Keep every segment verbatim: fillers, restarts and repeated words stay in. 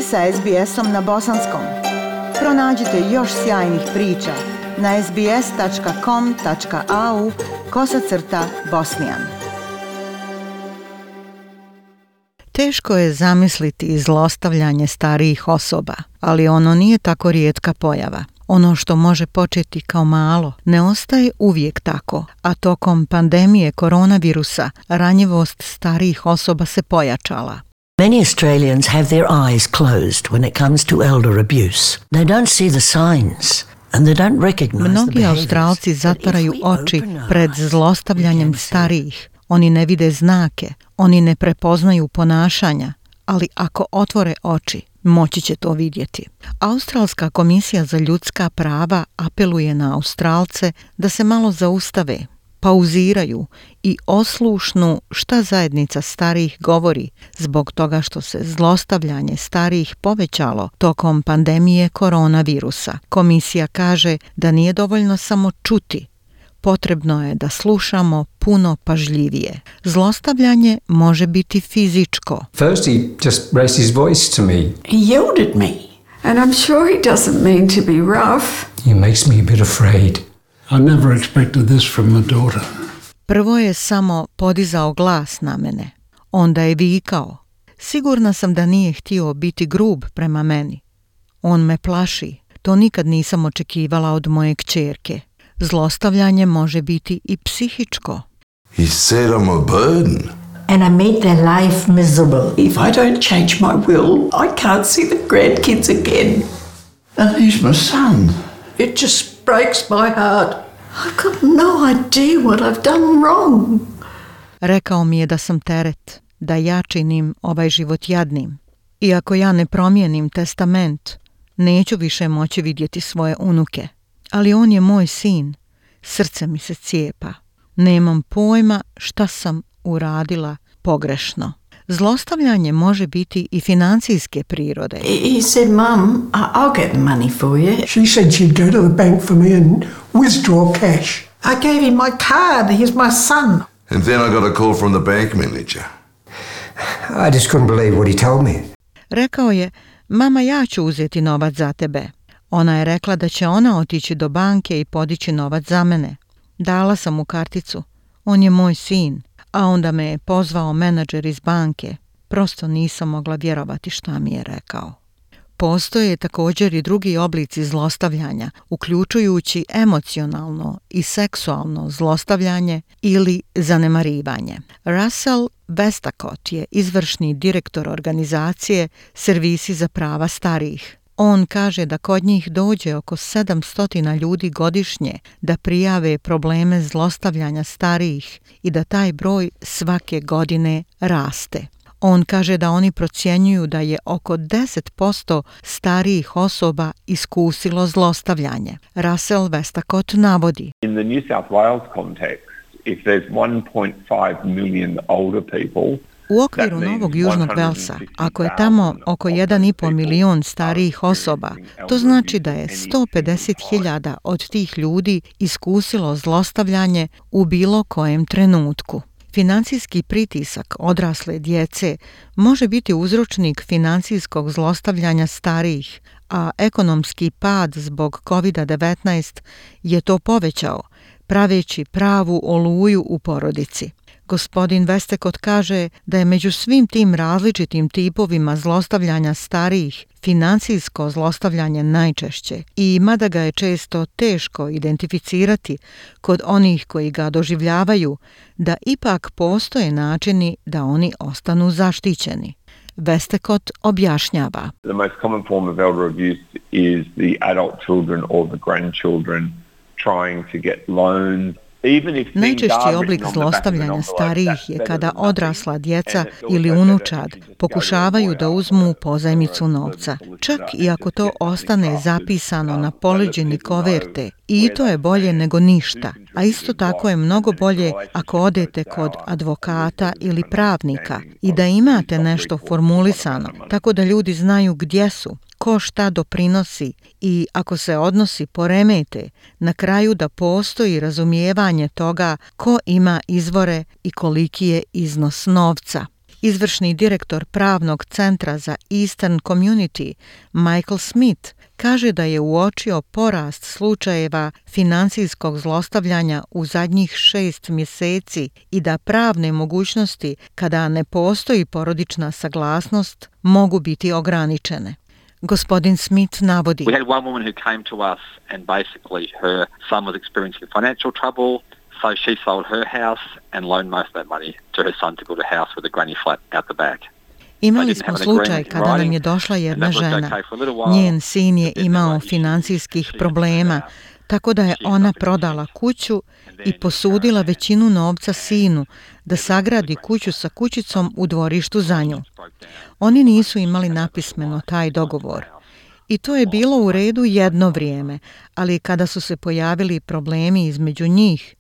ste sa es be esom na bosanskom. Pronađite još sjajnih priča na es be es tačka com tačka a u kosacrta bosnijan. Teško je zamisliti zlostavljanje starijih osoba, ali ono nije tako rijetka pojava. Ono što može početi kao malo ne ostaje uvijek tako, a tokom pandemije koronavirusa ranjivost starijih osoba se pojačala. Many Australians have their eyes closed when it comes to elder abuse. They don't see the signs and they don't recognize the Mnogi behaviors. Australci zatvaraju oči pred zlostavljanjem starijih. Oni ne vide znake, oni ne prepoznaju ponašanja, ali ako otvore oči, moći će to vidjeti. Australska komisija za ljudska prava apeluje na Australce da se malo zaustave, pauziraju i oslušnu šta zajednica starijih govori zbog toga što se zlostavljanje starijih povećalo tokom pandemije koronavirusa. Komisija kaže da nije dovoljno samo čuti, potrebno je da slušamo puno pažljivije. Zlostavljanje može biti fizičko. First he just raised his voice to me. He yelled at me. And I'm sure he doesn't mean to be rough. He makes me a bit afraid. I never expected this from my daughter. Prvo je samo podizao glas na mene. Onda je vikao. Sigurna sam da nije htio biti grub prema meni. On me plaši. To nikad nisam očekivala od moje kćerke. Zlostavljanje može biti i psihičko. He said I'm a burden. And I made their life miserable. If I don't change my will, I can't see the grandkids again. And he's my son. It just breaks my heart. I've got no idea what I've done wrong. Rekao mi je da sam teret, da ja činim ovaj život jadnim. I ako ja ne promijenim testament, neću više moći vidjeti svoje unuke. Ali on je moj sin. Srce mi se cijepa. Nemam pojma šta sam uradila pogrešno. Zlostavljanje može biti i financijske prirode. He said, Mum, I'll get the money for you. She said she'd go to the bank for me and withdraw cash. I gave him my card. He's my son. And then I got a call from the bank manager. I just couldn't believe what he told me. Rekao je, mama, ja ću uzeti novac za tebe. Ona je rekla da će ona otići do banke i podići novac za mene. Dala sam mu karticu. On je moj sin. A onda me je pozvao menadžer iz banke. Prosto nisam mogla vjerovati šta mi je rekao. Postoje također i drugi oblici zlostavljanja, uključujući emocionalno i seksualno zlostavljanje ili zanemarivanje. Russell Westacott je izvršni direktor organizacije Servisi za prava starijih. On kaže da kod njih dođe oko sedamsto ljudi godišnje da prijave probleme zlostavljanja starijih i da taj broj svake godine raste. On kaže da oni procjenjuju da je oko deset posto starijih osoba iskusilo zlostavljanje. Russell Westacott navodi. In the New South Wales context, if there's one point five million older people, u okviru Novog Južnog Velsa, ako je tamo oko jedan i pol milion starijih osoba, to znači da je sto pedeset hiljada od tih ljudi iskusilo zlostavljanje u bilo kojem trenutku. Financijski pritisak odrasle djece može biti uzročnik financijskog zlostavljanja starijih, a ekonomski pad zbog kovid devetnaest je to povećao, praveći pravu oluju u porodici. Gospodin Westacott kaže da je među svim tim različitim tipovima zlostavljanja starijih financijsko zlostavljanje najčešće i mada ga je često teško identificirati kod onih koji ga doživljavaju, da ipak postoje načini da oni ostanu zaštićeni. Westacott objašnjava. The most common form of elder abuse is the adult children or the grandchildren trying to get loans. Najčešći oblik zlostavljanja starijih je kada odrasla djeca ili unučad pokušavaju da uzmu pozajmicu novca. Čak i ako to ostane zapisano na poleđini koverte, i to je bolje nego ništa. A isto tako je mnogo bolje ako odete kod advokata ili pravnika i da imate nešto formulisano, tako da ljudi znaju gdje su, ko šta doprinosi i ako se odnosi poremete, na kraju da postoji razumijevanje toga ko ima izvore i koliki je iznos novca. Izvršni direktor pravnog centra za Eastern Community, Michael Smith, kaže da je uočio porast slučajeva financijskog zlostavljanja u zadnjih šest mjeseci i da pravne mogućnosti, kada ne postoji porodična saglasnost, mogu biti ograničene. Gospodin Smith navodi: We had one woman who came to us and basically her son was experiencing financial trouble, so she sold her house and loaned most of that money to her son to build a house with a granny flat out the back. Imali smo slučaj kada nam je došla jedna žena. Njen sin je imao financijskih problema, tako da je ona prodala kuću i posudila većinu novca sinu da sagradi kuću sa kućicom u dvorištu za nju. Oni nisu imali napismeno taj dogovor. I to je bilo u redu jedno vrijeme, ali kada su se pojavili problemi između njih,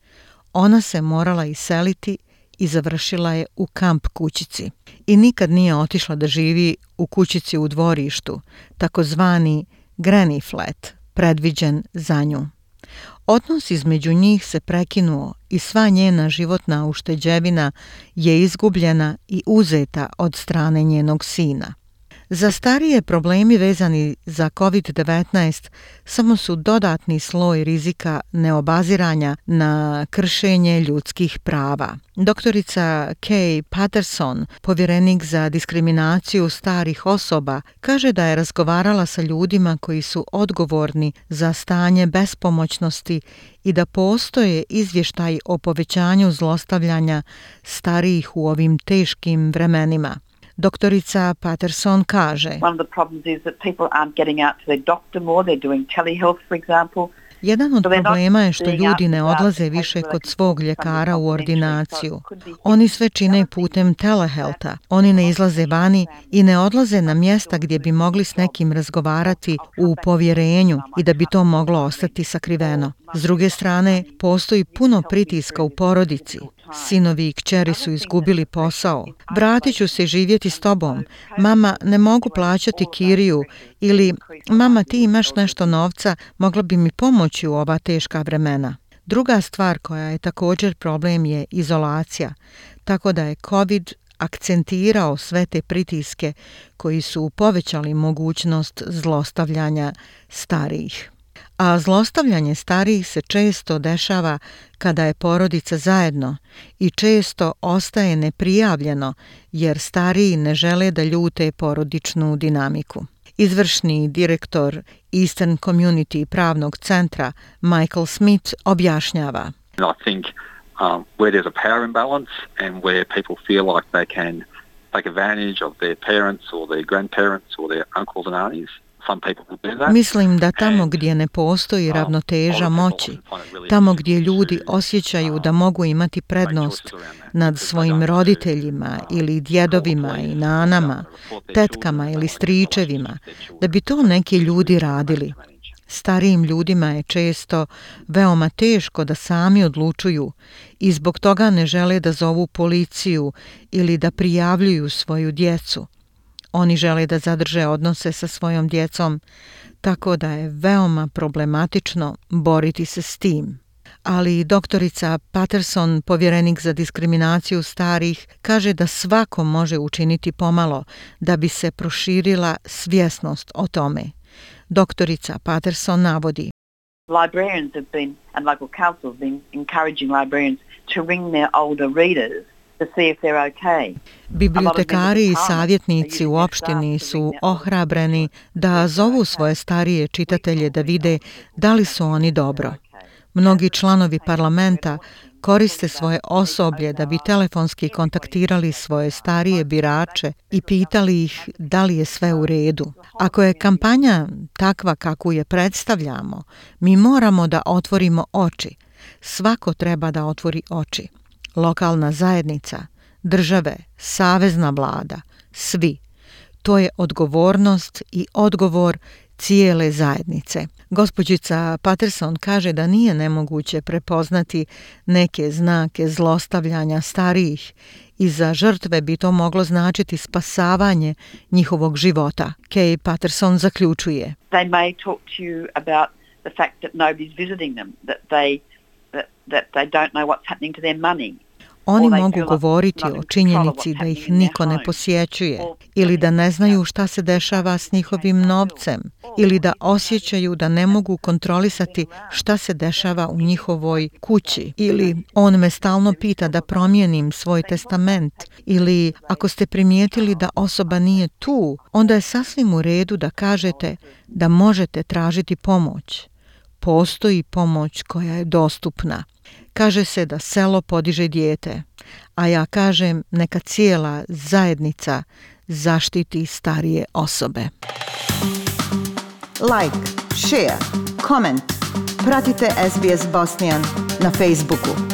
ona se morala iseliti i završila je u kamp kućici. I nikad nije otišla da živi u kućici u dvorištu, takozvani granny flat, predviđen za nju. Odnos između njih se prekinuo i sva njena životna ušteđevina je izgubljena i uzeta od strane njenog sina. Za starije problemi vezani za kovid devetnaest samo su dodatni sloj rizika neobaziranja na kršenje ljudskih prava. Doktorica Kay Patterson, povjerenik za diskriminaciju starih osoba, kaže da je razgovarala sa ljudima koji su odgovorni za stanje bespomoćnosti i da postoje izvještaji o povećanju zlostavljanja starijih u ovim teškim vremenima. Doktorica Patterson kaže: One of the problems is that people aren't getting out to their doctor more, they're doing telehealth, for example. Jedan od problema je što ljudi ne odlaze više kod svog ljekara u ordinaciju. Oni sve čine putem telehealtha. Oni ne izlaze vani i ne odlaze na mjesta gdje bi mogli s nekim razgovarati u povjerenju i da bi to moglo ostati sakriveno. S druge strane, postoji puno pritiska u porodici. Sinovi i kćeri su izgubili posao. Vratit ću se živjeti s tobom. Mama, ne mogu plaćati kiriju. Ili, mama, ti imaš nešto novca, mogla bi mi pomoći u ova teška vremena. Druga stvar koja je također problem je izolacija. Tako da je COVID akcentirao sve te pritiske koji su povećali mogućnost zlostavljanja starijih. A zlostavljanje starijih se često dešava kada je porodica zajedno i često ostaje neprijavljeno jer stariji ne žele da ljute porodičnu dinamiku. Izvršni direktor Eastern Community pravnog centra Michael Smith objašnjava: I think um, where there's a power imbalance and where people feel like they can take advantage of their parents or their grandparents or their uncles and aunties. Mislim da tamo gdje ne postoji ravnoteža moći, tamo gdje ljudi osjećaju da mogu imati prednost nad svojim roditeljima ili djedovima i nanama, tetkama ili stričevima, da bi to neki ljudi radili. Starijim ljudima je često veoma teško da sami odlučuju i zbog toga ne žele da zovu policiju ili da prijavljuju svoju djecu. Oni žele da zadrže odnose sa svojom djecom, tako da je veoma problematično boriti se s tim. Ali doktorica Patterson, povjerenik za diskriminaciju starih, kaže da svako može učiniti pomalo da bi se proširila svjesnost o tome. Doktorica Patterson navodi: Librarians have been, and local councils have been encouraging librarians to ring their older readers to see if they're okay. Bibliotekari i savjetnici u opštini su ohrabreni da zovu svoje starije čitatelje da vide da li su oni dobro. Mnogi članovi parlamenta koriste svoje osoblje da bi telefonski kontaktirali svoje starije birače i pitali ih da li je sve u redu. Ako je kampanja takva kakvu je predstavljamo, mi moramo da otvorimo oči. Svako treba da otvori oči. Lokalna zajednica, države, savezna vlada, svi. To je odgovornost i odgovor cijele zajednice. Gospođica Patterson kaže da nije nemoguće prepoznati neke znake zlostavljanja starijih i za žrtve bi to moglo značiti spasavanje njihovog života. Kay Patterson zaključuje: They may talk to you about the fact that nobody's visiting them, that they that, that they don't know what's happening to their money. Oni mogu govoriti o činjenici da ih niko ne posjećuje ili da ne znaju šta se dešava s njihovim novcem ili da osjećaju da ne mogu kontrolisati šta se dešava u njihovoj kući ili on me stalno pita da promijenim svoj testament ili ako ste primijetili da osoba nije tu, onda je sasvim u redu da kažete da možete tražiti pomoć. Postoji pomoć koja je dostupna. Kaže se da selo podiže dijete, a ja kažem neka cijela zajednica zaštiti starije osobe. Like, share, comment. Pratite S B S Bosnian na Facebooku.